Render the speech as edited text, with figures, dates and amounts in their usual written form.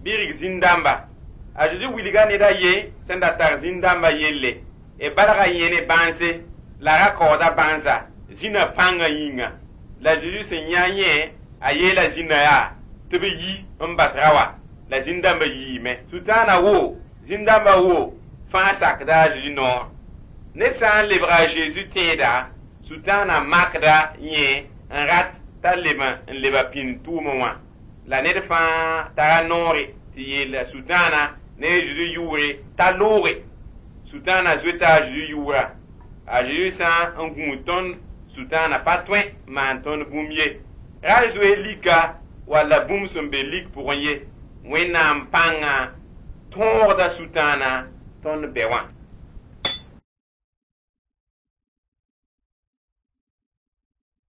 Bɩ rig zĩn-dãmba. A Zeezi wilga ned a ye sẽn da tar zĩn-dãmbã yelle. B balga yẽ ne bãnse la ra kaooda bãnsa zĩnã pãngã yĩnga. La Zeezi sẽn yã yẽ, a yeela zĩnã yaa tɩ b yi n bas ra wã. La zĩn-dãmbã yiime. Sʋtãanã wo, zĩn-dãmbã wo, fãa sakda a Zeezi noor. Ned sã n lebga a Zeezi tẽeda, Sʋtãanã makda yẽ n rat t'a leb n leba pĩnd tʋʋmẽ wã. La ned fãa tara noore tɩ yeel Sʋtãanã ne a Zeezi yʋʋre t'a looge. Sʋtãanã zoeta a Zeezi yʋʋra. A Zeezi sã n gũud tõnd, Sʋtãanã pa tõe n maan tõnd bũmb ye. Ra zoe lika walla bũmb sẽn be lik pʋgẽ ye. Wẽnnaam pãngã tõogda Sʋtãanã tõnd bɛ wã.